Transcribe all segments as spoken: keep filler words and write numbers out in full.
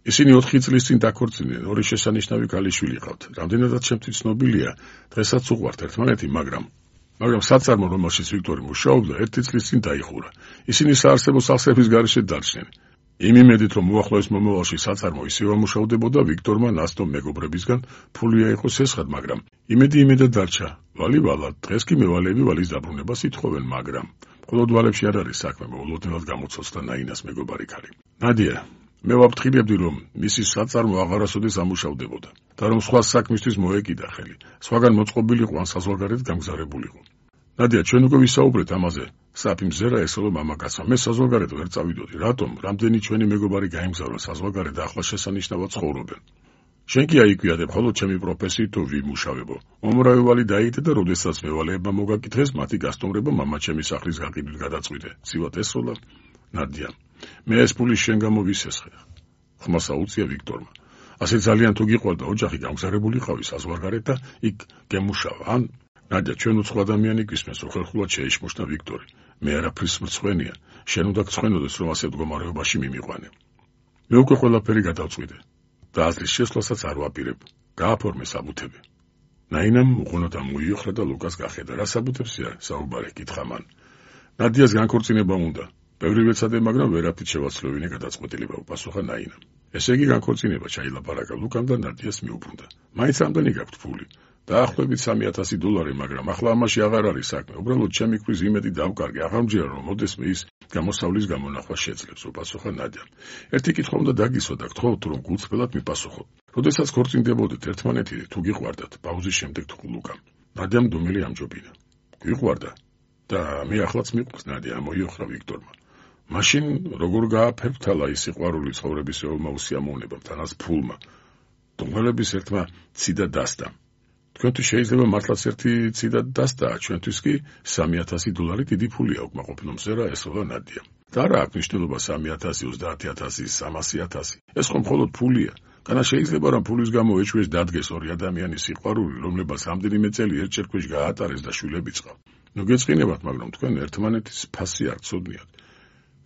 ისინი ოთხი წლის წინ დაქორწინდნენ, ორი შესანიშნავი ქალიშვილი ჰყავთ. რამდენადაც ჩემთვის ცნობილია, დღესაც უყვართ ერთმანეთი, მაგრამ მაგრამ საწარმო, რომელშიც ვიქტორი მუშაობდა, ერთი წლის წინ დაიხურა. ისინი საარსებო სახსრების გარეშე დარჩნენ. იმ იმედით, რომ უახლოეს მომავალში საწარმო ისევ ამუშავდებოდა, ვიქტორმა ნასტომ მეგობრებისგან ფული აიღო სესხად, მაგრამ იმედი იმედად დარჩა. ვალივალა, დღეს კი მევალეები ვალის დაბრუნებას ითხოვენ, მაგრამ მხოლოდ ვალებში არ არის საქმე, მოულოდნელად გამოცოცხლდა ნაინას მეგობარი ქალი. ნადია, მე ვაფრთხილებდი, რომ მისი საწარმო აღარასოდეს ამუშავდებოდა და რომ სხვა საქმისთვის მოეკიდა ხელი, სხვაგან მოწყობილიყო ან საზღვარგარეთ გამგზავრებულიყო. ნადია, ჩვენ უკვე ვისაუბრეთ ამაზე. საფი მზერა ესოლო მამაკაცმა. მე საზღვარგარეთ ვერ წავიდოდი. რატომ? რამდენი ჩვენი მეგობარი გაემგზავრა საზღვარგარეთ და ახლა შესანიშნავად ცხოვრობენ. შენ კი აიკვიადებ, ხოლოდ ჩემი პროფესიით თუ ვიმუშავებო. მომრავი ვალი დაიდე და როდესაც მევალეებმა მოგაკითხეს, მათი გასტუმრება მამაჩემის სახლის გაყიდვით გადაწყვიტე. ცივად ესროლა ნადია. მე ეს ფული შენ გამო ვისესხე. ხმას აუწია ვიქტორმა. ასე ძალიან თუ გიყვარდა ოჯახი გამგზავრებულიყავი საზღვარგარეთ და იქ გემუშავა, ან ნადია, ჩვენ უცხო ადამიანი გვისმენს, რომ ხერხულად შეიშმოშნა ვიქტორი. მე არაფრის მრცხვენია, შენ უნდა გცხვენოდეს, რომ ასე მდგომარეობაში მიმიყვანე. მე უკვე ყველაფერი გადავწყვიტე და აზრის შესვლასაც არ ვაპირებ. გააფორმე საბუთები. ნაინამ უღონოდ ამოიოხრა და ლუკას გახედა. რა საბუთებსია საუბარი? კითხა მან. ნადიას განქორწინება უნდა. ბევრი ვეცადე, მაგრამ ვერაფრით შევაცვლოვინე გადაწყვეტილება, უპასუხა ნაინამ. ესე იგი განქორწინება, ჩაილაპარაკა ლუკამ და ნადიას მიუბრუნდა. მაინც რამდენი გაქვთ ფული? დაახლოებით სამი ათასი დოლარი, მაგრამ ახლა ამაში აღარ არის საქმე. უბრალოდ ჩემი ქმრის იმედი დავკარგე, აღარ მჯერა, რომ მოდესმე ის გამოსავლის გამონახვა შეძლებს, უპასუხა ნადიამ. ერთი კითხვა უნდა დაგისვა და გთხოვთ, რომ გულწრფელად მიპასუხოთ. როდესაც ქორწინდებოდით ერთმანეთი, თუ გიყვარდათ, პაუზის შემდეგ თუ ლუკამ. ნადიამ დუმილი ამჯობინა. გიყვარდა და მე ახლაც მიყვარს, ნადია მოიოხრა ვიქტორმა. მაშინ როგორ გააფერფთალა ის სიყვარული ცხოვრებისეულმა უსიამოვნებამ, თანაც ფულმა. დუმილების ერთმა ციდა დასტა. თქვენთვის შეიძლება მართლაც ერთი ციდა დასტაა, ჩვენთვის კი სამი ათასი დოლარი დიდი ფულია, უკმაყოფილო მზერა ესროლა ნადია. და რა აქვს მნიშვნელობა სამი ათასი, ოცდაათი ათასი, სამასი ათასი? ეს ხომ მხოლოდ ფულია. განა შეიძლება რომ ფულის გამო ეჭვეს დადგეს ორი ადამიანის სიყვარული, რომლებაც რამდენიმე წელი ერთჯერ ქვეშ გაატარეს და შვილები წყავ. ნუ გეწყინებათ, მაგრამ თქვენ ერთმანეთის ფასი არ ცოდნიათ.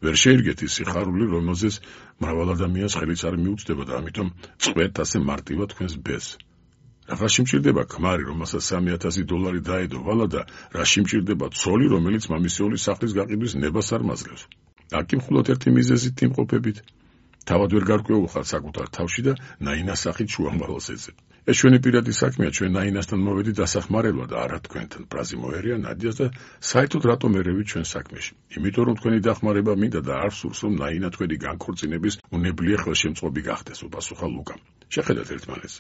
ვერ შეირგეთ ის სიხარული, რომელზეც მრავალ ადამიანს ხელიც არ მიუწვდება და ამიტომ წყვეთ ასე მარტივად თქვენს ბეს. რაში მჭირდება ქმარი, რომელსაც სამი ათასი დოლარი დაედო ვალა და რაში მჭირდება ცოლი, რომელიც მამისეულის სახლის გაყიდვის ნებას არ მაძლევს. აქ მხოლოდ ერთი მიზეზით იმყოფებით. თავად ვერ გარკვეულხართ საკუთარ თავში და ნაინას სახით შუამავალს ეძებთ. ეს ჩვენი პირადი საქმეა, ჩვენ ნაინასთან მოვედით დასახმარებლად და არა თქვენთან. პრაზი მოერია ნადიას და საერთოდ რატომ ერევით ჩვენ საქმეში? იმიტომ რომ თქვენი დახმარება მინდა და არ სურს, რომ ნაინა თქვენი განქორწინების უნებლიე ხელშემწყობი გახდეს, უპასუხა ლუკამ. შეხედათ ერთმანეთს.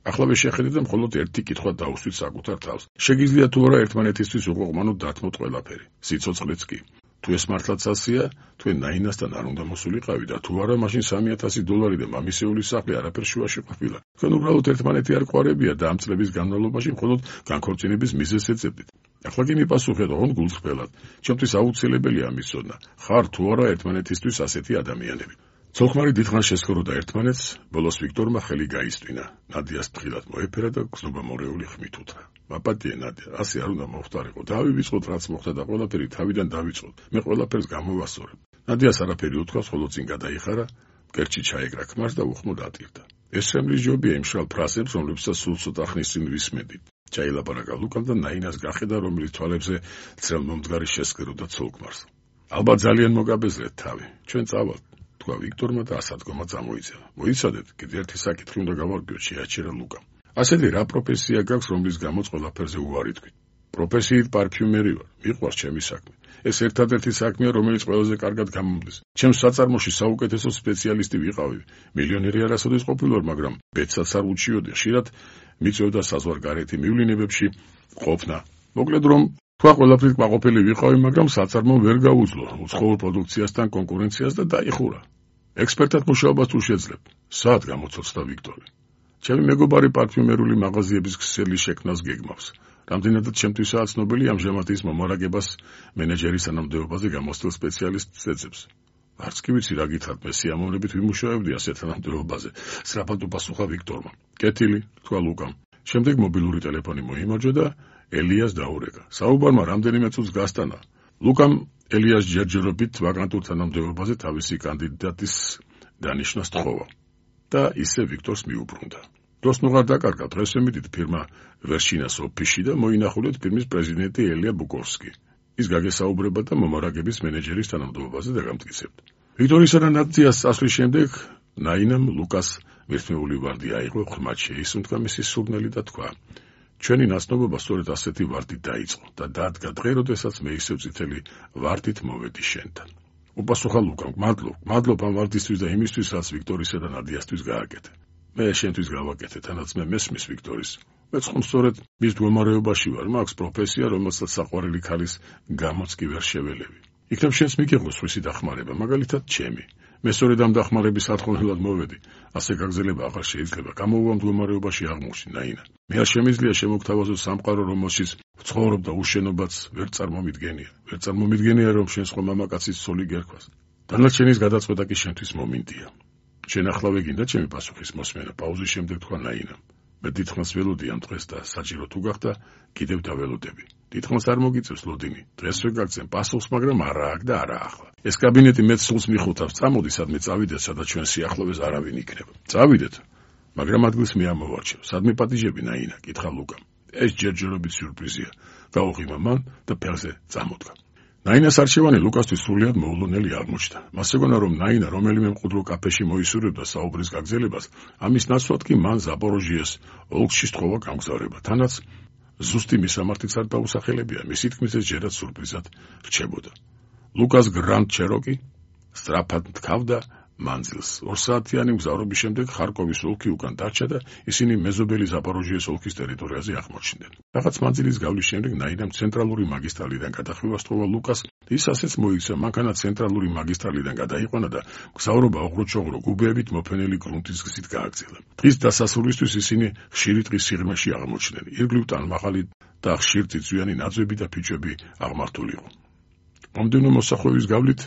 ახლავე შეხედეთ და მხოლოდ ერთი კითხვა დაუსვით საკუთარ თავს. შეგიძლია თუ არა ერთმანეთისთვის უყოყმანოთ დათმოთ ყველაფერი, სიცოცხლეც კი. თუ ეს მართლაც ასეა, თქვენ ნაინასთან არ უნდა მოსულიყავი და თუ არა, მაშინ სამი ათასი დოლარი და მამისეულის სახლი არაფერ შუაში ყოფილა. თქვენ უბრალოდ ერთმანეთი არ ყვარებია და ამ წლების განმავლობაში მხოლოდ განქორწინების მიზეზს ეძებდით. ახლა კი მიპასუხეთ, ოღონდ გულწრფელად. ჩემთვის აუცილებელია ამის ცოდნა. ხარ თუ არა ერთმანეთისთვის ასეთი ადამიანები. ცოლ-ქმარი დიდხანს შესხუროდა ერთმანეთს, ბოლოს ვიქტორმა ხელი გაისტვინა. ნადიას თხილად მოეფერა და გზნობა მორეული ხმით უთხრა. მაპატიე ნადია, ასე არ უნდა მოხდარიყო. დავივიწყოთ, რაც მოხდა და ყველაფერი თავიდან დავიწყოთ. მე ყველაფერს გამოვასწორებ. ნადიას არაფერი უთქვას, ხოლო წინ გადაიხარა, მკერჩი ჩაეკრა ქმარს და უხმოდ ატირდა. ეს შემლის ჯობია იმ შრალ ფრაზებს, რომლებსაც სულ ცოტა ხნის წინ ვისმენდით. ჩაილაპარაკა ლუკამ და ნაინას გახედა, რომლის თვალებზე ძრელმომდგარი შესქეროდა ცოლ-ქმარს. ალბათ ძალიან მოგაბეზრეთ თავი. ჩვენ წავალთ. თქვა ვიქტორმა და ასადგომა წამოიძება. მოიცადეთ, კიდევ ერთი საკითხი უნდა გავარკვიოთ, შეაჩერა ლუკამ. ასეთი რა პროფესია გაქვს, რომლის გამოც ყველაფერზე უარი თქვით? პროფესიით პარფიუმერი ვარ, მიყვარს ჩემი საქმე. ეს ერთადერთი საქმეა, რომელიც ყველაზე კარგად გამომდის. ჩემს საწარმოში საუკეთესო სპეციალისტი ვიყავი. მილიონერი არასოდეს ყოფილვარ, მაგრამ ბედსაც არ უჩიოდი. ხშირად მიწევდა საზღვარგარეთი მივლინებებში ყოფნა. მოკლედ რომ თქვა ყველაფრით კმაყოფილი ვიყავი, მაგრამ საწარმო ვერ გაუძლო უცხოურ პროდუქციასთან კონკურენციას და დაიხურა. ექსპერტად მუშაობას თუ შეძლებ. სად გამოცოცხლდა ვიქტორი? ჩემი მეგობარი პარფიუმერული მაღაზიების ქსელი შექმნას გეგმავს. რამდენადაც ჩემთვისაა ცნობილი, ამჟამად ის მომარაგებას მენეჯერის თანამდებობაზე გამოსცილ სპეციალისტს ეძებს. არც კი ვიცი რა გითხრათ, მე სიამოვნებით ვიმუშავებდი ასეთ თანამდებობაზე. სწრაფად უპასუხა ვიქტორმა. კეთილი, თქვა ლუკამ. შემდეგ მობილური ტელეფონი მოიმარჯვა და ელიას დაურეკა. საუბარმა რამდენიმე წუთს გასტანა. ლუკამ ელიას ჯერჯერობით ვაკანტურ თანამდებობაზე თავისი კანდიდატის დანიშნას თხოვა. და ისე ვიქტორს მიუბრუნდა. დროს ნუღარ დაკარგა, დღეს ემიდით ფირმა ვერშინას ოფისში და მოინახულეთ ფირმის პრეზიდენტი ელია ბუკოვსკი. ის გაგესაუბრება და მომარაგების მენეჯერის თანამდებობაზე დაგამტკიცებდა. ვიქტორისა და ნადიას წასვლის შემდეგ ნაინამ ლუკას მირთმეული ვარდი აიღო, ხმად შეისუნთქა მისი სურნელი და თქვა: ჩვენი ნაცნობობა სწორედ ასეთი ვარდით დაიწყო და დადგა დღე, როდესაც მე ისევ წითელი ვარდით მოვედი შენთან. უპასუხა ლუკამ: მადლობ, მადლობ ამ ვარდისთვის და იმისთვის, რაც ვიქტორისა და ნადიასთვის გააკეთე. მე შენთვის გავაკეთე, თანაც მე მესმის ვიქტორის. მეც ხომ სწორედ მის მდგომარეობაში ვარ, მაქვს პროფესია, რომელსაც საყვარელი ქალის გამოც კი ვერ შეველევი. იქნებ შენს მიგიღოს სხვისი დახმარება, მაგალითად ჩემი. მე სწორედ ამ დახმარების სათხოვნელად მოვედი. ასე გაგზელება აღარ შეიძლება. გამოვუვა მდგომარეობაში აღმოჩნდი, ნაინა. მე არ შემიძლია შემოგთავაზო სამყარო, რომელშიც ვცხოვრობ და უშენობაც ვერ წარმომიდგენია. ვერ წარმომიდგენია, რომ შენს ხომ მამაკაცის ცოლი გერქვას. დანარჩენის გადაწყვეტა კი შენთვის მომინდია. შენ ახლავე გინდა ჩემი პასუხის მოსმენა, პაუზის შემდეგ თქვა ნაინამ. მე დიდხანს ველოდი ამ დღეს და საჭირო თუ გახდა, კიდევ დაველოდები. დიდხანს არ მოგიწევს ლოდინი. დღეს ვერ გაგცემ პასუხს, მაგრამ არა აქ და არა ახლა. ეს კაბინეტი მეც სულს მიხუთავს, წამოდი სადმე წავიდეთ, სადაც ჩვენ სიახლოვეს არავინ იქნება. წავიდეთ, მაგრამ ადგილს მე ამოვარჩევ. სადმე პატიჟები, ნაინა? კითხა ლუკამ. ეს ჯერჯერობით სიურპრიზია. გაუღიმა მან და ფეხზე წამოდგა. ნაინას არჩევანი ლუკასთვის სრულიად მოულოდნელი აღმოჩნდა. მას ეგონა, რომ ნაინა რომელიმე მყუდრო კაფეში მოისურვებდა საუბრის გაგზელებას, ამის ნაცვლად კი მან ზაპოროჟიეს ოლქში სთხოვა გამგზავრება. თანაც ზუსტი მისამართიც არ დაუსახელებია, მისი თქმით ეს ჯერაც სურპრიზად რჩებოდა. ლუკას გრანდ ჩეროკი სწრაფად თქავდა მანძილს. ორსაათიანი მგზავრობის შემდეგ ხარკოვის ოლქი უკან დარჩა და ისინი მეზობელი ზაპოროჟიეს ოლქის ტერიტორიაზე აღმოჩნდნენ. რაღაც მანძილის გავლის შემდეგ ნაინამ ცენტრალური მაგისტრალიდან გადახვევა სთხოვა ლუკას. ის ასეც მოიქცა, მანქანა ცენტრალური მაგისტრალიდან გადაიყვანა და მგზავრობა ოღრუჩოღრო გუბეებით მოფენილი გრუნტის გზით გააგრძელა. დღის დასასრულისთვის ისინი ხშირი ტყის სიღრმეში აღმოჩნდნენ. ირგვლივ ტანმაღალი და ხშირ წიწვიანი ნაძვები და ფიჭვები აღმართული იყო. მომდევნო მოსახვევის გავლით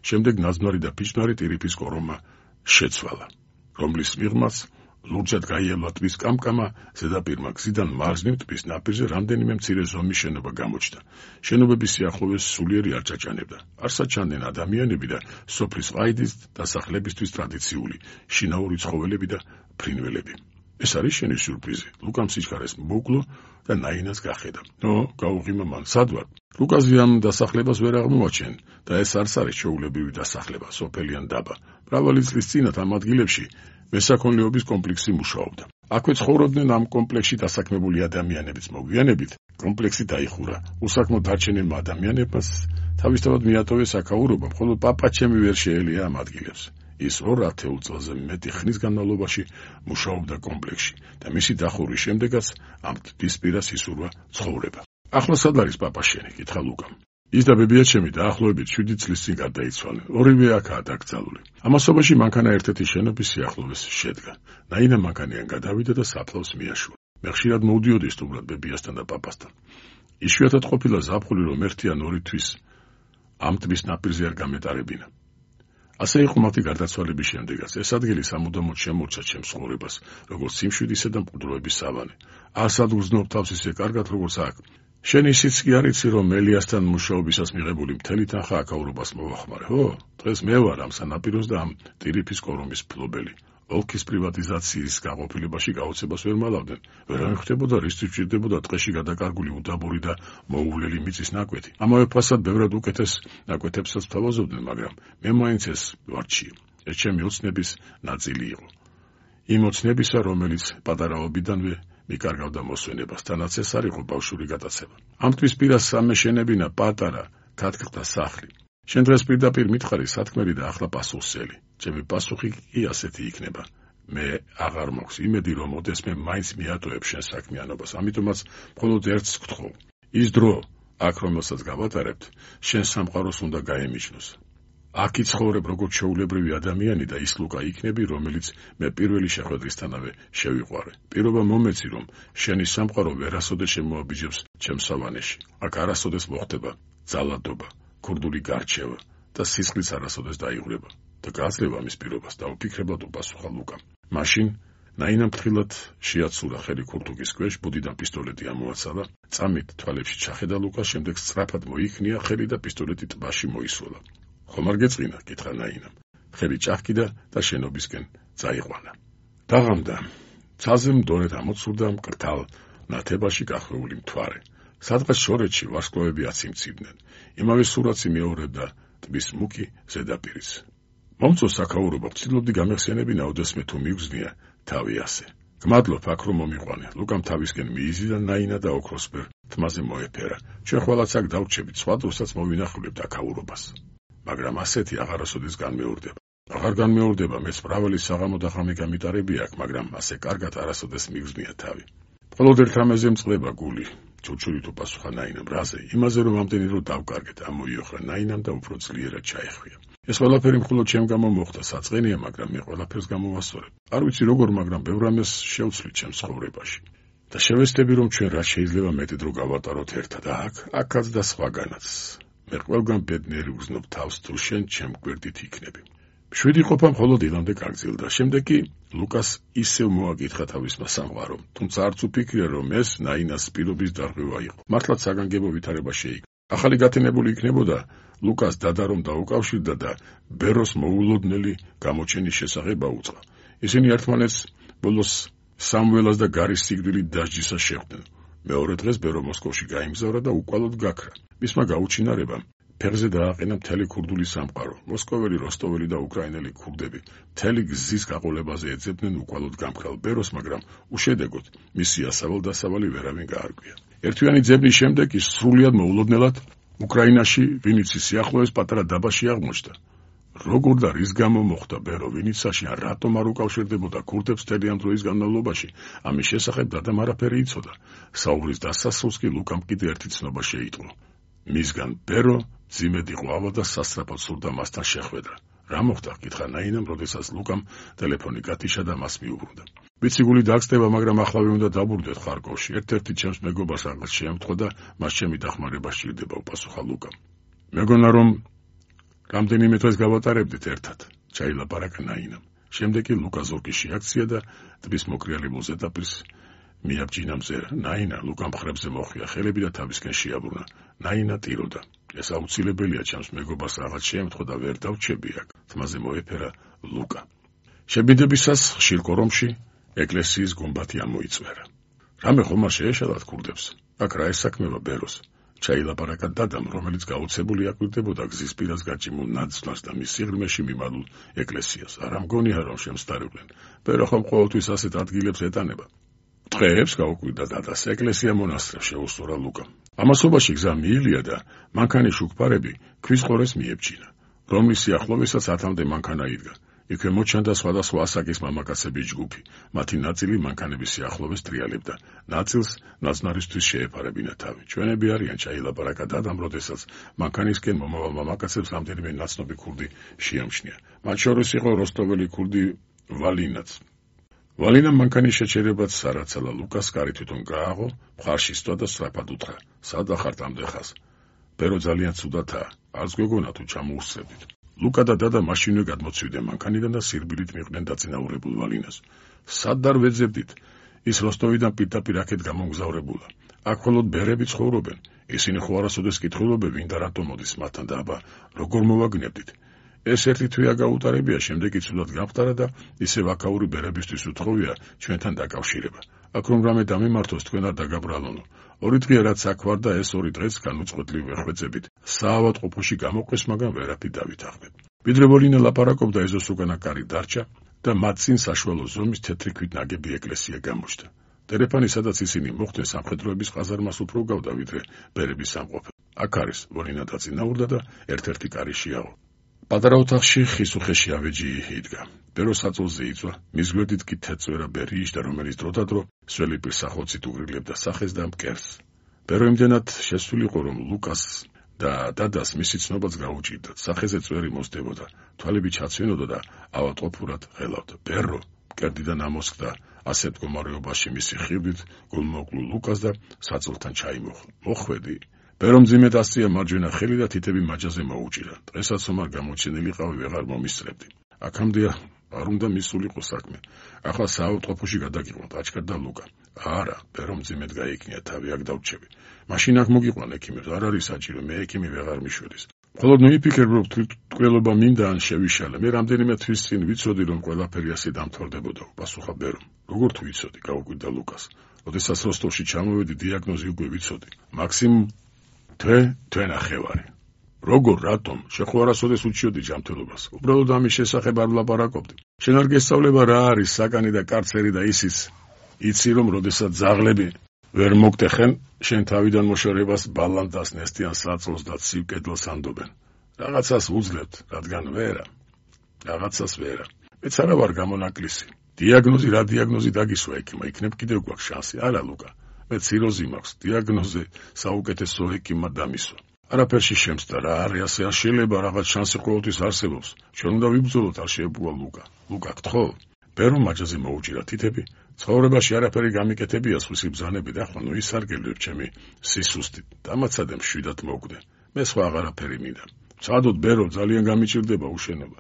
შემდეგ ნაძვნარი და ფიჭვნარი ტირიფის კორომა შეცვალა, რომლის მიღმაც ლურჯად გაიელა ტბის კამკამა, ზედაპირმა გზიდან მარჯვნივ ტბის ნაპირზე რამდენიმე მცირე ზომის შენობა გამოჩნდა. შენობების სიახლოვეს სულიერი არ ჭაჭანებდა. არსად ჩანდნენ ადამიანები და სოფლის ყაიდის დასახლებისთვის ტრადიციული შინაური ცხოველები და ფრინველები. ეს არის შენი სიურპრიზი. ლუკამ სიჩქარეს მოუკლო და ნაინას გახედა. ნო, გაუღიმა მან, სად ვარ? ლუკაზი ამ დასახლებას ვერ აღმოაჩენ და ეს არც არის ჩვეულებრივი დასახლება, სოფელიან დაბა. მრავალი წლის წინათ ამ ადგილებში მესაქონლეობის კომპლექსი მუშაობდა. აქვე ცხოვრობდნენ ამ კომპლექსში დასაქმებული ადამიანებიც. მოგვიანებით კომპლექსი დაიხურა. უსაქმო დარჩენილმა ადამიანებმაც თავისთავად მიატოვეს აქაურობა, ხოლო პაპაჩემი ვერ შეელია ამ ადგილებს. ის ორ ათეულ წელზე მეტი ხნის განმავლობაში მუშაობდა კომპლექსში და მისი დახურვის შემდეგაც ამ ტბისპირას ისურვა ცხოვრება. ახლა სად არის პაპაშენი? კითხა ლუკამ. ის და ბებიაჩემი დაახლოებით შვიდი წლის წინ გარდაიცვალნენ. ორივე აქაა დაკრძალული. ამასობაში მანქანა ერთ-ერთი შენობის სიახლოვეს შედგა. ნაინა მანქანიდან გადავიდა და საფლავს მიაშურა. მე ხშირად მოვდიოდი სტუმრად ბებიასთან და პაპასთან. იშვიათად ყოფილა ზაფხული, რომ ერთი ან ორი თვის ამ ტბის ნაპირზე არ გამეტარებინა. ასე იყო მათი გარდაცვალების შემდეგაც. ეს ადგილი სამუდამოდ შემორჩა ჩემს ცხოვრებას, როგორც სიმშვიდისა და მყუდროების სავანე. არსად უგრძნობ თავს ისე კარგად, როგორც აქ. შენ ისიც კი არ იცი, რომ მელიასთან მუშაობისას მიღებული მთელი თანხა აქაურობას მოვახმარე, ხო? დღეს მე ვარ ამ სანაპიროს და ამ ტირიფის კორომის მფლობელი. ოლქის პრივატიზაციის გაყოფილებაში გაოცებას ვერ მალავდნენ. ვერ ამიხდებოდა, რისთვის ჭირდებოდა ტყეში გადაკარგული უდაბური და მოუვლელი მიწის ნაკვეთი. ამავე ფასად ბევრად უკეთეს ნაკვეთებსაც თავაზობდნენ, მაგრამ მე მაინც ეს ვარჩიე. ეს ჩემი ოცნების ნაწილი იყო. იმ ოცნებისა, რომელიც პატარაობიდანვე მიკარგავდა მოსვენებას, თანაც ეს არ იყო ბავშვური გატაცება. ამ ტბისპირას სამეშენებინა პატარა ქათქთა სახლი. შენ დღეს პირდაპირ მითხარი სათქმელი და ახლა პასუხსელი. ჩემი პასუხი კი ასეთი იქნება. მე აღარ მაქვს იმედი, რომ ოდესმე მაინც მიატოვებ შენ საქმიანობას, ამიტომაც მხოლოდ ერთს გთხოვ. ის დრო, აქ რომელსაც გავატარებთ, შენ სამყაროს უნდა გაემიჯნოს. აქ იცხოვრებ როგორც ჩვეულებრივი ადამიანი და ის ლუკა იქნები, რომელიც მე პირველი შეხვედრისთანავე შევიყვარე. პირობა მომეცი, რომ შენი სამყარო ვერასოდეს შემოაბიჯებს ჩემს სავანეში. აქ არასოდეს მოხდება ძალადობა, ქურდული გარჩევა და სისხლიც არასოდეს დაიღვრება. და გაძლევა მის პირობას და უფიქრებლად უპასუხა ლუკამ. მაშინ ნაინამ ფრთხილად შეაცურა ხელი ქურთუკის ქვეშ, ბუდიდან პისტოლეტი ამოაცალა, წამით თვალებში ჩახედა ლუკას, შემდეგ სწრაფად მოიქნია ხელი და პისტოლეტი ტბაში მოისროლა. ხომ არ გეწყინა? კითხა ნაინამ. ხელი ჭახკიდა და შენობისკენ წაიყვანა. დაღამდა. ცაზე მდორედ ამოცურდა მკრთალ ნათებაში გახვეული მთვარე. სადღაც შორეთში ვარსკვლავები აციმცივდნენ. იმავე სურათს იმეორებდა ტბის მუქი ზედაპირის. მომწონს საქაურობა, ვცდილობდი გამეხსენებინა ოდესმე თუ მიგზნია თავი ასე. გმადლობ აქ რომ მომიყვანე. ლუკამ თავისკენ მიიზიდა ნაინა და ოქროსფერ თმაზე მოეფერა. ჩვენ ყველაც აქ დავრჩებით, სხვა დროსაც მოვინახულებთ აქაურობას. მაგრამ ასეთი აღარასოდეს განმეორდება. აღარ განმეორდება, მეც მრავალი საღამო და ღამე გამიტარები აქ, მაგრამ ასე კარგად არასოდეს მიგზნია თავი. მხოლოდ ერთ რამეზე მწყდება გული. ჩურჩულით უპასუხა ნაინამ, რაზე? იმაზე რომ ამდენი დრო დავკარგეთ, ამოიოხრა ნაინამ და უფრო ძლიერად ჩაეხვია. ეს ყველაფერი მხოლოდ ჩემ გამო მოხდა, საწყენია, მაგრამ მე ყველაფერს გამოვასწორებ. არ ვიცი როგორ, მაგრამ ბევრ რამეს შევცვლით ჩემს ცხოვრებაში. და შევეცდები რომ ჩვენ რაც შეიძლება მეტი დრო გავატაროთ ერთად აქ, აქაც და სხვაგანაც. მე ყველგან ბედნიერი ვგზნობ თავს, თუ შენ ჩემ გვერდით იქნები. შვიდი ყოფა მხოლოდ ილამდე გაგრძელდა. შემდეგ კი ლუკას ისევ მოაკითხა თავისმა სამყარომ, თუმცა არც უფიქრია რომ ეს ნაინას პირობის დარღვევა იყო. მართლაც საგანგებო ვითარება შეიქმნა. ახალი გათენებული იქნებოდა ლუკას დადა რომ დაუკავშირდა და ბეროს მოულოდნელი გამოჩენის შესახებ აუწყა. ისინი ერთმანეთს ბოლოს სამველას და გარის სიკვდილით დასჯისას შეხვდნენ. მეორე დღეს ბერო მოსკოვში გაიმგზავრა და უკვალოდ გაქრა. მისმა გაუჩინარებამ ფეხზე დააყენა მთელი ქურდული სამყარო. მოსკოველი, როსტოველი და უკრაინელი ქურდები მთელი გზის გაყოლებაზე ეძებდნენ უკვალოდ გამქრალ ბეროს, მაგრამ უშედეგოდ მისი ასავალ-დასავალი ვერავინ გაარკვია. ერთვიანი ძებნის შემდეგ ის სრულიად მოულოდნელად უკრაინაში ვინიცის სიახლოვეს პატარა დაბაში აღმოჩნდა. როგორ და რის გამო მოხდა ბერო ვინიცაში, ან რატომ არ უკავშირდებოდა ქურდებს მთელი ამ დროის განმავლობაში, ამის შესახებ დადამ არაფერი იცოდა. საუბრის დასასრულს კი ლუკამ კიდე ერთი ცნობა შეიტყო. მისგან ბერო ძიმედ იყო ავა და სასწრაფოდ სურდა მასთან შეხვედრა. რა მოხდა? კითხა ნაინამ, როდესაც ლუკამ ტელეფონი გათიშა და მას მიუბრუნდა. ვიცი გული დააგწდება, მაგრამ ახლავე უნდა დავბრუნდეთ ხარკოვში. ერთ-ერთი ჩემს მეგობარს რაღაც შეემთხვა და მას ჩემი დახმარება სჭირდება, უპასუხა ლუკამ. მეგონა რომ რამდენიმე დღეს გავატარებდით ერთად, ჩაილაპარაკა ნაინამ. შემდეგ კი ლუკა ზურგში აქცია და ტბის მოკრიალებულ ზედაპირს მიაბჯინა მზერა. ნაინა ლუკამ მხრებზე მოხვია ხელები და თავისკენ შეაბრუნა. ნაინა ტიროდა. ეს აუცილებელია, ჩემს მეგობარს რაღაც შეემთხვა და ვერ დავჩები აქ. თმაზე მოეფერა ლუკა. შებინდებისას ხშირ კორომში ეკლესიის გუმბათი ამოიწვერა. რამე ხომ არ შეეშალათ ქურდებს? აქ რა ესაქმება ბეროს? ჩაილაპარაკა დადამ, რომელიც გაუცებული აკვირდებოდა გზის პირას გაჭიმულ ნაცვლას და მის სიღრმეში მიმალულ ეკლესიას. არა მგონია რომ შემსტარებდნენ. ბერო ხომ ყოველთვის ასეთ ადგილებს ეტანება. დღეებს გაუკვირდა დადას ეკლესია მონასტრებს, შეუსწორა ლუკამ. ამასობაში გზა მიილია და მანქანის შუქფარები ქვის ყორეს მიებჯინა, რომლის სიახლოვესაც ათამდე მანქანა იდგა. იქვე მოჩანდა სხვადასხვა ასაკის მამაკაცების ჯგუფი. მათი ნაწილი მანქანების სიახლოვეს ტრიალებდა, ნაწილს ნაცნარისთვის შეეფარებინა თავი. ჩვენები არიან, ჩაილაპარაკა დადამ, როდესაც მანქანისკენ მომავალ მამაკაცებს რამდენიმე ნაცნობი ქურდი შეამჩნია. მათ შორის იყო როსტოველი ქურდი ვალინაც. ვალინამ მანქანის შეჩერებაც სარაცალა ლუკას კარი თვითონ გააღო, მხარში სვა და სწრაფად უთხრა. სად ახართ ამდეხას? ბერო ძალიან ცუდათაა, არც გვეგონა თუ ჩამოუსწრებდით. ლუკა და დადა მაშინვე გადმოცივდნენ მანქანიდან და სირბილით მიყვნენ დაწინაურებულ ვალინას. სად არ ვეძებდით? ის როსტოვიდან პირდაპირ აქეთ გამომგზავრებულა. აქ მხოლოდ ბერები ცხოვრობენ. ისინი ხო არასოდეს კითხულობენ, ვინ და რატომ მოდის მათთან და აბა როგორ მოვაგნებდით? ეს ერთი თვეა გაუტარებია, შემდეგ იცუდად გამხდარა და ისევ აქაური ბერებისთვის უთხოვია ჩვენთან დაკავშირება. აქ რომ რამე დამემართოს, თქვენ არ დაგაბრალონო. ორი დღეა რაც აქ ვარ და ეს ორი დღეც განუწყვეტლივ ვეხვეწებით. საავადმყოფოში გამოყვეს, მაგრამ ვერაფრით დავითანხმებ. ვიდრე ვოლინა ლაპარაკობდა, ეზოს უკანა კარი დარჩა და მათ წინ საშუალო ზომის თეთრი ქვით ნაგები ეკლესია გამოჩნდა. ტელეფონი, სადაც ისინი მოხვდნენ, სამხედროების ყაზარმას უფრო გავდა, ვიდრე ბერების სამყოფე. აქ არის, ვოლინა დაწინაურდა და ერთ-ერთი კარი შეაო. პატარა ოთახში ხის უხეში ავეჯი იდგა. ბერო საწოლზე იწვა, მის გვერდით კი თეთრ ბერი იჯდა, რომელიც დროდადრო სველი პირსახოცით უგრილებდა სახეს და მკერს. ბერო იმდენად შესული იყო, რომ ლუკას და დადას მისი ცნობაც გაუჭირდათ. სახეზე წვერი მოსდებოდა, თვალები ჩაცვენოდა და ავადმყოფურად ღელავდა. ბერო მკერდიდან ამოსხდა, ასეთ მდგომარეობაში მისი ხიბლით გულმოკლულ ლუკას და საწოლთან ჩაიმოხლა. მოხვედი. ბერომ ძიმედ ასწია მარჯვენა ხელი და თითები მაჯაზე მოუჭირა. დღესაც ომარ გამოჩენილიყავი, ვეღარ მომისწრებდი. აქამდე არ უნდა მისულიყო საქმე. ახლა საავადმყოფოში გადაგიყვანთ, აჩქარდა ლუკა. არა, ბერომ ძიმედ გაიქნია თავი, აქ დავჩები. მაშინ აქ მოგიყვან ექიმებს, არ არის საჭირო, მე ექიმი ვეღარ მიშვედის. მხოლოდ მიიფიქრე, რომ თვითმკვლელობა მინდა ან შევიშალე. მე რამდენიმე თვის წინ ვიცოდი, რომ ყველაფერი ასე დამთავრდებოდა, პასუხა ბერომ. როგორ თუ ვიცოდი, გაუკვირდა ლუკას. როდესაც როსტოვში ჩამოვედი, დიაგნოზი უკვე ვიცოდი. მაქსიმუმ თვე, თვე ნახევარი. როგორ, რატომ? შენ ხო არასოდეს უჩიოდი ჯანმრთელობას. უბრალოდ ამის შესახებ არ ვლაპარაკობდი. შენ არ გესწავლება რა არის საკანი და კარცერი და ისიც იცი, რომ როდესაც ძაღლები ვერ მოგტეხენ, შენ თავიდან მოშორებას ბალანს ნესტიან საწოლს და ცივ კედელს ანდობენ. რაღაცას უძლებთ, რადგან ვერა. რაღაცას ვერა. მეც არა ვარ გამონაკლისი. დიაგნოზი რა დიაგნოზი დაგისვა ექიმმა, იქნებ კიდევ გვაქვს შანსი. არა ლუკა. მე ციროზი მაქვს. დიაგნოზე საუკეთესო ექიმმა დამისვა. არაფერში შემცდა რა, არის ასე არ შეიძლება, რაღაც შანსი ყოველთვის არსებობს. ჩვენ უნდა ვიბრძოლოთ, არ შეებულა ლუკა. ლუკა, გთხოვ? ბერომ მაჯაზე მოუჭირა თითები. ცხოვრებაში არაფერი გამიკეთებია სხვისი ბრძანები და ხო ნუ ისარგებლებ ჩემი სისუსტით. დამაცადე მშვიდად მოვკვდე. მე სხვა აღარაფერი მინდა. წადოთ ბერო, ძალიან გამიჭირდება უშენობა.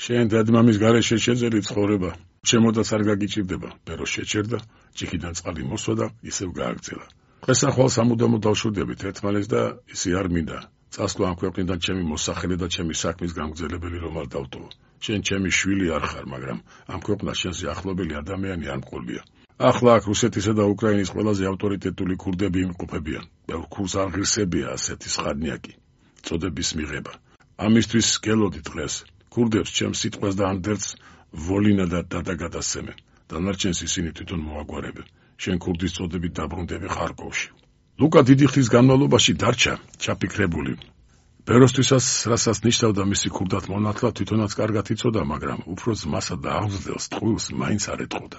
შენ დედმამის გარეშე შეძელი ცხოვრება. ჩემოდაც არ გაგიჭირდება. ბერო შეჭერდა, ჭიქიდან წყალი მოსვა და ისევ გააგრძელა. დღესახვალ სამუდამოდ დავშვიდებით ერთმანეთს და ისი არ მინდა. წასვლა ამ ქვეყნიდან ჩემი მოსახლე და ჩემი საქმის გამგზელებელი რომ არ დავტოვო. შენ ჩემი შვილი არ ხარ, მაგრამ ამ ქვეყნას შენზე ახლობელი ადამიანი არ მყოლია. ახლა აქ რუსეთისა და უკრაინის ყველაზე ავტორიტეტული ქურდები იმყოფებიან. ბევრ ქურს არ ღირსებია ასეთი სხადნიაკი წოდების მიღება. ამისთვის გელოდი დღეს. ქურდებს ჩემს სიტყვას და ანდერს ვოლინა და დადა გადასცემენ. დანარჩენს ისინი თვითონ მოაგვარებენ. შენ ქურდის წოდებით დაბრუნდები ხარკოვში. ლუკა დიდი ხნის განმავლობაში დარჩა ჩაფიქრებული. ბეროსთვისაც, რასაც ნიშნავდა მისი ქურდად მონათლა, თვითონაც კარგად იცოდა, მაგრამ უფრო ძმასა და აღზრდელს ტყუილს მაინც არ ეტყოდა.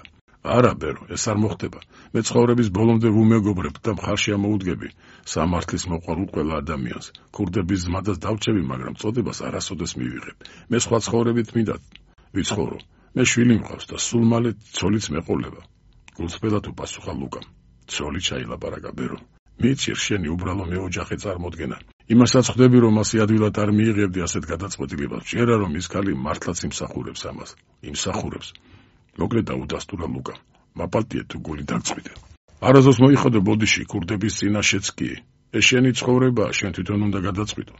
არა, ბერო, ეს არ მოხდება. მე ცხოვრების ბოლომდე ვუმეგობრებ და მხარში ამოუდგები სამართლის მოყვარულ ყველა ადამიანს. ქურდების ზმადას დავჭები, მაგრამ წოდებას არასოდეს მივიღებ. მე სხვა ცხოვრებით მინდა ვიცხოვრო. მე შვილი მყავს და სულ მალე ცოლიც მეყოლება. გულწრფელად უპასუხა ლუკამ. ცოლი ჩაილაპარაკა ბერო. მიცირ შენი უბრალო მეოჯახე წარმოდგენა. იმასაც ხვდები, რომ ასე ადვილად არ მიიღებდი ასეთ გადაწყვეტილებას. ჯერა რომ ის ქალი მართლაც იმსახურებს ამას. იმსახურებს. მოკლედ დაუდასტურა ლუკამ. მაპალტიე თუ გული დაგწვიდე. არასდროს მოიხადე ბოდიში ქურდების წინაშეც კი. ეს შენი ცხოვრებაა, შენ თვითონ უნდა გადაწყვიტო.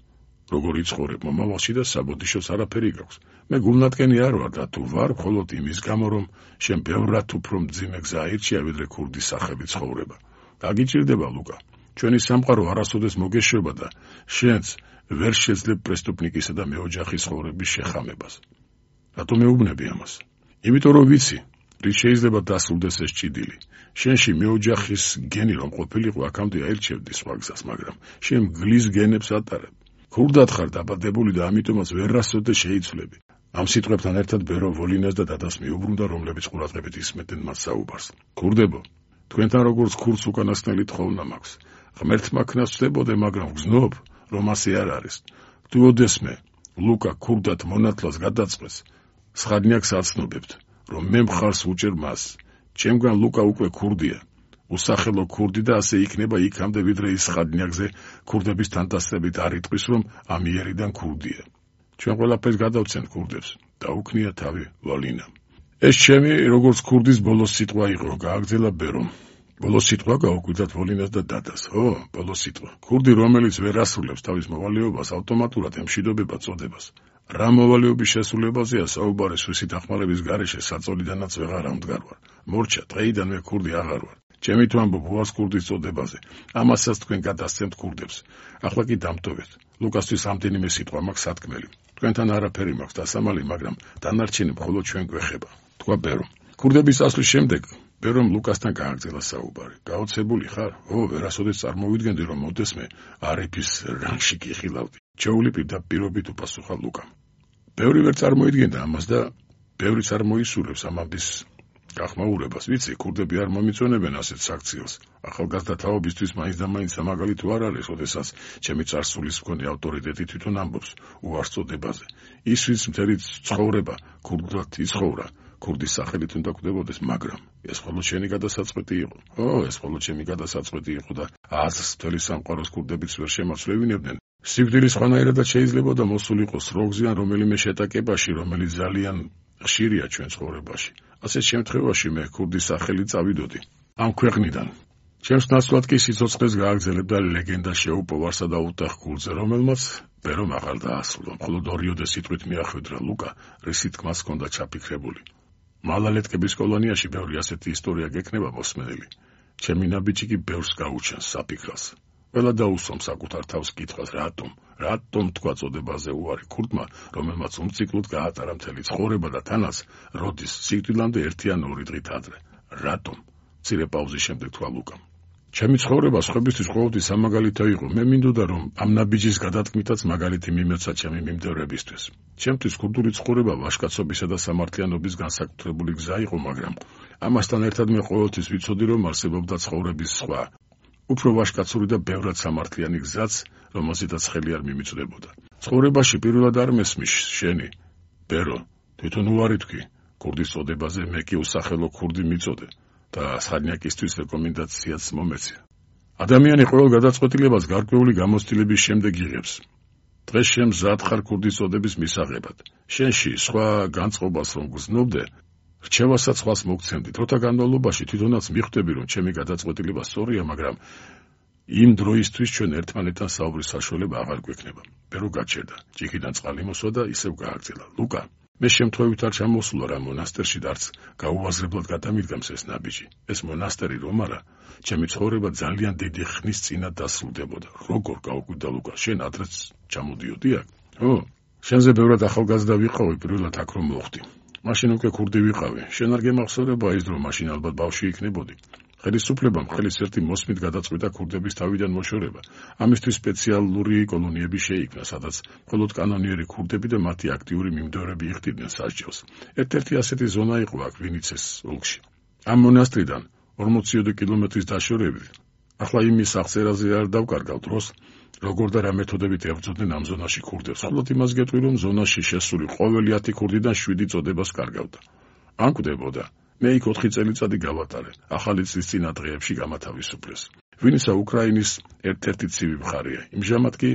როგორ იცხოვრებ მომავალში და საბოდიშოს არაფერი გაქვს. მე გულნათკენი არ ვარ და თუ ვარ, მხოლოდ იმის გამო, რომ შენ ბევრად უფრო მძიმე გზა აირჩია, ვიდრე ქურდის სახებით ცხოვრება. გაგიჭირდება ლუკა. ჩვენი სამყარო არასოდეს მოგეშვება და შენც ვერ შეძლებ პრესტუპნიკისა და მეოჯახის ცხოვრების შეხამებას. რატომ მეუბნები ამას? იმიტომ რომ ვიცი, რის შეიძლება დასრულდეს ეს ჭიდილი. შენში მეოჯახის გენი რომ ყოფილიყო, აქამდე აირჩევდი სხვა გზას, მაგრამ შენ გლის გენებს ატარებ. ქურდად ხარ დაბადებული და ამიტომაც ვერასოდეს შეიცვლები. ამ სიტყვებთან ერთად ბერო ვოლინას და დადას მიუბრუნდა, რომლებიც ყურადღებით ისმენდნენ მათ საუბარს. ქურდებო, თქვენთან როგორც ქურს უკანასკნელი თხოვნა მაქვს. ღმერთმა ქნას ვწდებოდე, მაგრამ ვგზნობ, რომ ასე არ არის. თუ ოდესმე ლუკა ქურდად მონათლას გადაწყვეს, სხადნიაკს აცნობებთ, რომ მე მხარს უჭერ მას. ჩემგან ლუკა უკვე ქურდია. უსახელო ქურდი და ასე იქნება იქამდე, ვიდრე ის სხადნიაკზე ქურდების თანტასწრებით არ იტყვის, რომ ამიერიდან ქურდია. ჩვენ ყველაფერს გადავცემთ ქურდებს. დაუქნია თავი ვოლინამ. ეს ჩემი როგორც ქურდის ბოლოს სიტყვა იყო, გააგრძელა ბერომ. ბოლოს სიტყვა გაუკვირდათ ვოლინას და დადას. ო, ბოლოს სიტყვა. ქურდი, რომელიც ვერ ასრულებს თავის მოვალეობას, ავტომატურად ემშვიდობება წოდებას. რა მოვალეობის შესრულებაზეა საუბარი სვისი დახმარების გარეშე საწოლიდანაც ვეღარ ამდგარვარ. მორჩა, დღეიდან მე ქურდი აღარ ვარ. ჩემი თუ ამბობ ვარს ქურდის წოდებაზე. ამასაც თქვენ გადასცემთ ქურდებს. ახლა კი დამტოვეთ. ლუკასთვის ამდენიმე სიტყვა მაქვს სათქმელი. თქვენთან არაფერი მაქვს დასამალი, მაგრამ დანარჩენი მხოლოდ ჩვენ გვეხება. თქვა ბერომ. ქურდების წასვლის შემდეგ ბერომ ლუკასთან გააგრძელა საუბარი. გაოცებული ხარ? ო, ვერასოდეს წარმოვიდგენდი, რომ მოდესმე არიფის რანგში გიხილავდი. ჩეულიპი და პირობით უპასუხა ლუკამ. ბევრი ვერ წარმოიდგენდა ამას და ბევრიც არ მოისურვებს ამამდის გახმაურებას. ვიცი, ქურდები არ მომიწონებენ ასეთ საქციელს. ახალგაზრდა თაობისთვის მაინც და მაინც სამაგალი თუ არ არის, ოდესაც ჩემი წარსულის მქონე ავტორიტეტი თვითონ ამბობს უარს წოდებაზე. ის ვის მთელი ცხოვრება ქურდად იცხოვრა, ქურდის სახელით უნდა კვდებოდეს, მაგრამ ეს მხოლოდ შენი გადასაწყვეტი იყო. ო, ეს მხოლოდ ჩემი გადასაწყვეტი იყო და აზრს მთელი სამყაროს ქურდებიც ვერ შემაცვლევინებდნენ. სიკვდილის ხვანაირადაც შეიძლებოდა მოსულიყო სროგზე ან რომელიმე შეტაკებაში, რომელიც ძალიან ხშირია ჩვენ ცხოვრებაში. ასეთ შემთხვევაში მე ქურდის სახელი წავიდოდი ამ ქვეყნიდან. ჩემს ნაცვლად კი სიცოცხლეს გააგრძელებდა ლეგენდა შეუპოვარსა და უტახ გულზე, რომელმაც ბერომ აღარ დაასრულა, მხოლოდ ორიოდე სიტყვით მიახვედრა ლუკა, რისი თქმაც ჰქონდა ჩაფიქრებული. მალალეტკების კოლონიაში ბევრი ასეთი ისტორია გექნება მოსმენელი. ჩემი ნაბიჯი კი ბევრს გაუჩენს საფიქრას. ყველა დაუსვამ საკუთარ თავს კითხვას, რატომ, რატომ თქვა წოდებაზე უარი ქურდმა, რომელმაც უმციკლოდ გაატარა მთელი ცხოვრება და თანაც როდის სიკვდილამდე ერთი ან ორი დღით ადრე. რატომ? მცირე პაუზის შემდეგ თქვა ლუკამ. ჩემი ცხოვრება სხვებისთვის ყოველთვის სამაგალითო იყო. მე მინდოდა რომ ამ ნაბიჯის გადატკმითაც მაგალითი მიმეცა ჩემი მიმდევრებისთვის. ჩემთვის ქურდული ცხოვრება ვაჟკაცობისა და სამართლიანობის განსაკუთრებული გზა იყო, მაგრამ ამასთან ერთად მე ყოველთვის ვიცოდი რომ არსებობდა ცხოვრების სხვა, უფრო ვაჟკაცური და ბევრად სამართლიანი გზაც, რომელზედაც ხელი არ მიმიწვდებოდა. ცხოვრებაში პირველად არ მესმის შენი, ბერო, თვითონ უარი თქვი, ქურდის წოდებაზე მე კი უსახელო ქურდი მიწოდე. და სხანიაკისთვის რეკომენდაციაც მომეცი. ადამიანი ყოველ გადაწყვეტილებას გარკვეული გამოცდილების შემდეგ იღებს. დღეს შენ მზად ხარ ქურდის წოდების მისაღებად. შენში სხვა განწყობას რომ გრძნობდე, რჩევასაც სხვას მოგცემდი. დროთა განმავლობაში თვითონაც მიხვდები რომ ჩემი გადაწყვეტილება სწორია, მაგრამ იმ დროისთვის ჩვენ ერთმანეთთან საუბრის საშუალება აღარ გვექნება. ბერო გაჩერდა, ჭიქიდან წყალი მოსვა და ისევ გააგრძელა. ლუკა, მე შემთხვევით არ ჩამოსულა რა მონასტერში და არც გაუაზრებლად გადამიდგამს ეს ნაბიჯი. ეს მონასტერი რომ არა, ჩემი ცხოვრება ძალიან დიდი ხნის წინათ დასრულდებოდა. როგორ გაუკვირდა ლუკა, შენ ადრეც ჩამოდიოდი აქ? ო, შენზე ბევრად ახალგაზრდა ვიყავი პირველად აქ რომ მოხვდი. მაშინ უკვე ქურდი ვიყავი. შენ არ გემახსოვრება ის დრო, მაშინ ალბათ ბავშვი იქნებოდი. ხელისუფლებამ ხელის ერთი მოსმით გადაწყვიტა ქურდების თავიდან მოშორება. ამისთვის სპეციალური კოლონიები შეიქმნა, სადაც მხოლოდ კანონიერი ქურდები და მათი აქტიური მიმდევრები იხდიდნენ სასჯელს. ერთ-ერთი ასეთი ზონა იყო აქ ვინიცეს ოლქში. ამ მონასტრიდან ორმოციოდე კილომეტრის დაშორებით. ახლა იმის აღწერაზე არ დავკარგავ დროს, როგორ და რა მეთოდებით ებრძოდნენ ამ ზონაში ქურდებს. მხოლოდ იმას გეტყვი, რომ ზონაში შესული ყოველი ათი ქურდიდან შვიდი წოდებას კარგავდა. ან კვდებოდა. მე იქ ოთხი წელიწადი გავატარე, ახალი წლის წინა დღეებში გამათავისუფლეს. ვინიცა უკრაინის ერთ-ერთი ცივი მხარეა. იმჟამად კი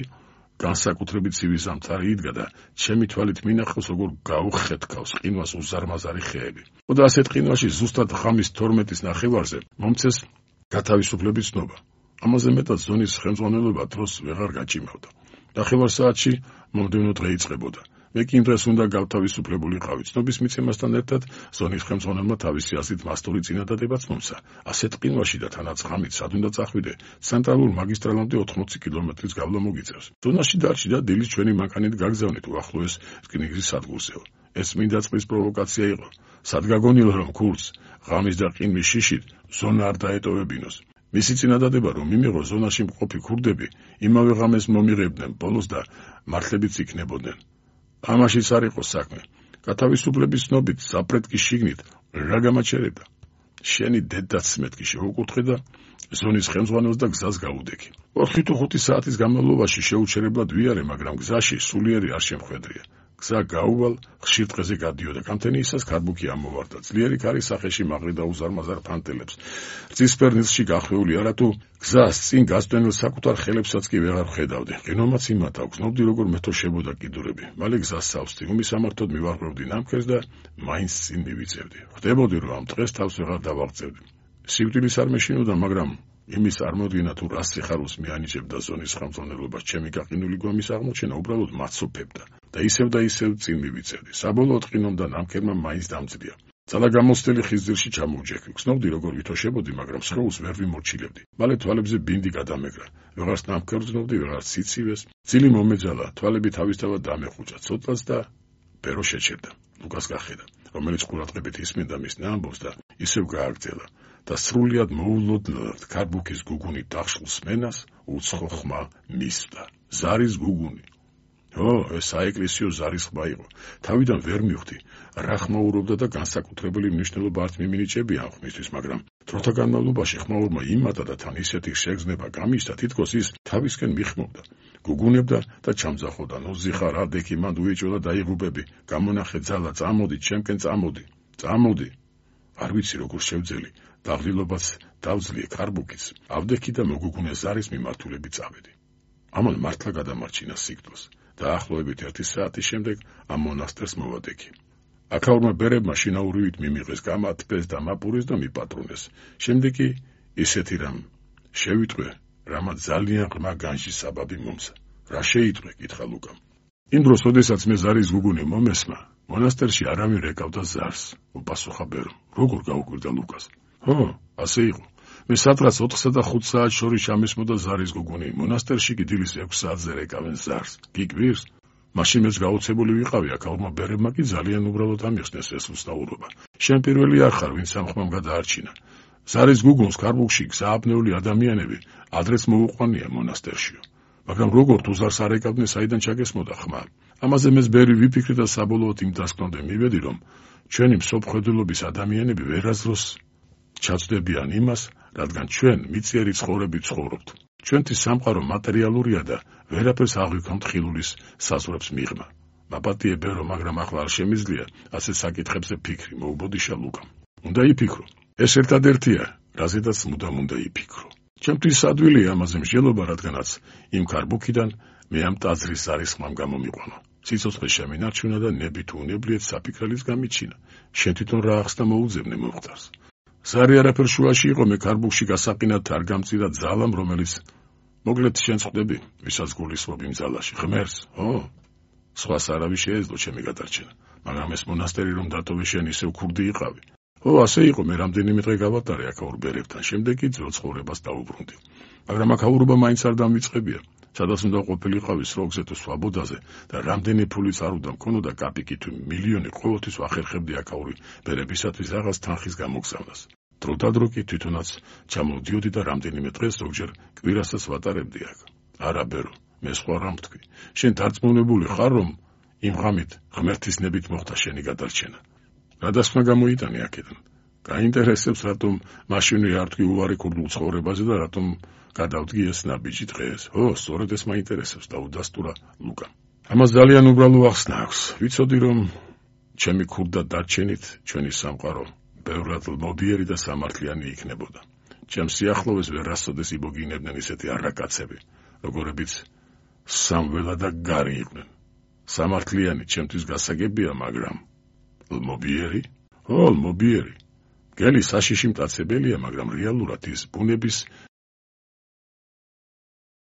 განსაკუთრებით ცივი ზამთარი იდგა და ჩემი თვალით მინახავს, როგორ გაუხეთქავს ყინვას უზარმაზარი ხეები. და ასეთ ყინვაში ზუსტად ღამის თორმეტის ნახევარზე მომცეს გათავისუფლების ცნობა. ამაზე მეტად ზონის ხელმძღვანელობა დროს ვეღარ გაჭიმავდა. ნახევარ საათში მომდევნო დღე იწყებოდა. მე კი იმ დღეს უნდა გავთავისუფლებულიყავი. ცნობის მიცემასთან ერთად ზონის ხელმძღვანელმა თავისი აზრით მასტური წინადადებაც მომცა. ასეთ ყინვაში და თანაც ღამით სად უნდა წახვიდე, ცენტრალურ მაგისტრალამდე ოთხმოცი კილომეტრის გავლა მოგიწევს. ზონაში დარჩი და დილის ჩვენი მანქანით გაგზავნით უახლოეს რკინიგზის სადგურზეო. ეს მინდა წყლის პროვოკაცია იყო. სად გაგონილა რომ ქურდს ღამის და ყინვის შიშით ზონა არ დაეტოვებინოს. მისი წინადადება რომ მიმიღო ზონაში მყოფი ქურდები იმავე ღამეს მომიღებდნენ ბოლოს და მართლებიც იქნებოდნენ. ამაშიც არ იყო საქმე. გათავისუფლების ცნობით საპრეტკის შიგნით რა გამაჩერებდა. შენი დედაც მეთქი შეუკუთხე და ზონის ხელმძღვანელს და გზას გაუდექი. ოთხი თუ ხუთი საათის განმავლობაში შეუჩერებლად ვიარე, მაგრამ გზაში სულიერი არ შემხვედრია. გზა გაუვალ ხშირ დღეზე გადიოდა. გამთენიისას ქარბუქი ამოვარდა. ძლიერი ქარი სახეში მაყრიდა უზარმაზარ ფანტელებს. რძისფერ ნილსში გახვეული არათუ გზას წინ გასწვენილ საკუთარ ხელებსაც კი ვეღარ ხედავდი. ყინომაც იმათ აქვს, ნობდი როგორ მეთოშებოდა კიდურები. მალე გზას სავსდი, უმისამართოდ მივარღვევდი ნამქერს და მაინც წინ მივიწევდი. ხვდებოდი რომ ამ დღეს თავს ვეღარ დავაღწევდი. სიკვდილის არ მეშინოდა, მაგრამ იმის წარმოდგენა თუ რა სიხარულს მიანიჭებდა ზონის ხელმძღვანელობას ჩემი გაყინული გვამის აღმოჩენა უბრალოდ მაცოფებდა და ისევ და ისევ წინ მივიწევდი. საბოლოოდ ყინომდა ნამქერმა მაინც დამწდია. ძალა გამოცდილი ხის ძირში ჩამოვჯექი. გრძნობდი როგორ ვითოშებოდი, მაგრამ სხეულს ვერ ვიმორჩილებდი. მალე თვალებზე ბინდი გადამეგრა. ვეღარც ნამქერს გრძნობდი, ვეღარც სიცივეს. ძილი მომეძალა, თვალები თავისთავად დამეხუჭა. ცოტას და ბერო შეჩერდა. ლუკას გახედა, რომელიც ყურადღებით ისმენდა მის ნამბობს და ისევ გააგრძელა. და სრულიად მოულოდნელად ქარბუქის გუგუნი დახშულს მენას უცხო ხმა მისვდა. ზარის გუგუნი. ო, ეს საეკლესიო ზარის ხმა იყო. თავიდან ვერ მივხვდი, რა ხმაურობდა და განსაკუთრებული მნიშვნელობა არ მიმინიჭებია ამ ხმისთვის, მაგრამ დროთა განმავლობაში ხმაურმა იმატა და თან ისეთი შეგრძნება გამიშთა, თითქოს ის თავისკენ მიხმობდა. გუგუნებდა და ჩამძახოდა. ნუ ზიხარ ადექი მანდ უეჭვლა დაიღუბები. გამონახე ძალა, წამოდი, ჩემკენ წამოდი. წამოდი. არ ვიცი როგორ შევძელი. დაღლილობაც დავძლიე ქარბუქის, ავდექი და მოგუგუნე ზარის მიმართულები წავედი. ამან მართლა გადამარჩინა სიკვდილს. დაახლოებით ერთი საათის შემდეგ ამ მონასტერს მოვადექი. აქაურმა ბერებმა შინაურივით მიმიღეს, გამათბეს და მაპურეს და მიპატრუნეს. შემდეგ კი ისეთი რამ შევიტყვე, რამაც ძალიან ღრმა განში საბაბი მომცა. რა შეიტყვე, კითხა ლუკამ. იმ დროს, როდესაც მე ზარის გუგუნი მომესმა, მონასტერში არავინ რეკავდა ზარს, უპასუხა ბერომ. როგორ გაუკვირდა ლუკას? ხო, ასე იყო. მე სადღაც ოთხსა და ხუთ საათს შორის ჩამისმოდა ზარის გუგუნი, მონასტერში კი დილის ექვს საათზე რეკავენ ზარს. გიკვირს? მაშინ მეც გაუცებული ვიყავი, აქაურმა ბერებმა კი ძალიან უბრალოდ ამიხსნეს ეს უსტაურობა. შენ პირველი არ ხარ, ვინც ამ ხმამ გადაარჩინა. ზარის გუგუნს კარბუქში სააბნეული ადამიანები ადრეც მოუყვანია მონასტერშიო. მაგრამ როგორ თუ ზარს არ ეკავდნენ, საიდან ჩაგესმოდა ხმა? ამაზე მეც ბერი ვიფიქრე და საბოლოოდ იმ დასკვნამდე მივედი, რომ ჩვენი მსოფლმხედველობის ადამიანები ვერასდროს ჩაწვდებიან იმას, რადგან ჩვენ მიწიერი ცხოვრებით ცხოვრობთ. ჩვენთვის სამყარო მატერიალურია და ვერაფერს აღვიქვამთ ხილულის საზღვრებს მიღმა. მაპატიე ბერო, მაგრამ ახლა არ შემიძლია ასე საკითხებზე ფიქრი, მოუბოდიშა ლუკამ. უნდა იფიქრო. ეს ერთადერთია, რაზედაც მუდამ უნდა იფიქრო. ჩემთვის ადვილია ამაზე მსჯელობა, რადგანაც იმ კარბუქიდან მე ამ ტაძრის ზარის ხმამ გამომიყვანა. სიცოცხლე შემინარჩუნა და ნებით უნებლიეთ საფიქრალის გამიჩინა. შენ თვითონ რა ახსნა მოუძებნე მომხდარს. ზარი არაფერ შუაში იყო, მე კარბუქში გასაყინად არ გამწირა ძალამ, რომელიც მოკლედ შენ ხვდები, ვისაც გულისხმობ იმ ძალაში, ღმერთს, ხო? სხვას არავის შეეძლო ჩემი გადარჩენა, მაგრამ ეს მონასტერი რომ დატოვე, შენ ისევ ქურდი იყავი. ხო, ასე იყო, მე რამდენიმე დღე გავატარე აქაურ ბერებთან, შემდეგ კი ძველ ცხოვრებას დავუბრუნდი. მაგრამ აქაურობა მაინც არ დამიწყებია. სადაც უნდა ყოფილიყავი სროგზე თუ სვაბოდაზე და რამდენი ფულიც არ უნდა მქონოდა კაპიკი თუ მილიონი, ყოველთვის ვახერხებდი აქაური ბერებისათვის რაღაც თანხის გამოგზავნას. დრო და დრო კი თვითონაც ჩამოვდიოდი და რამდენიმე დღეს ზოგჯერ კვირასაც ვატარებდი აქ. არა ბერო, მე სხვა რამ ვთქვი. შენ დარწმუნებული ხარ, რომ იმ ღამით ღმერთის ნებით მოხდა შენი გადარჩენა? რა დასკვნა გამოიტანე აქედან? გაინტერესებს, რატომ მაშინვე არ თქვი უარი ქურდულ ცხოვრებაზე და რატომ გადავდგი ეს ნაბიჯი დღეს? ო, სწორედ ეს მაინტერესებს, დაუდასტურა ლუკამ. ამას ძალიან უბრალო ახსნა აქვს. ვიცოდი, რომ ჩემი ქურდა დარჩენით ჩვენი სამყარო ბევრად მოდიერი და სამართლიანი იქნებოდა. ჩემს სიახლოვეს ვერასოდეს იბოგინებდნენ ისეთი არაკაცები, როგორებიც სამველა და გარი იყვნენ. სამართლიანი ჩემთვის გასაგებია, მაგრამ ლმობიერი? ო, ლმობიერი. გელი საშიში მტაცებელია, მაგრამ რეალურად ის ბუნების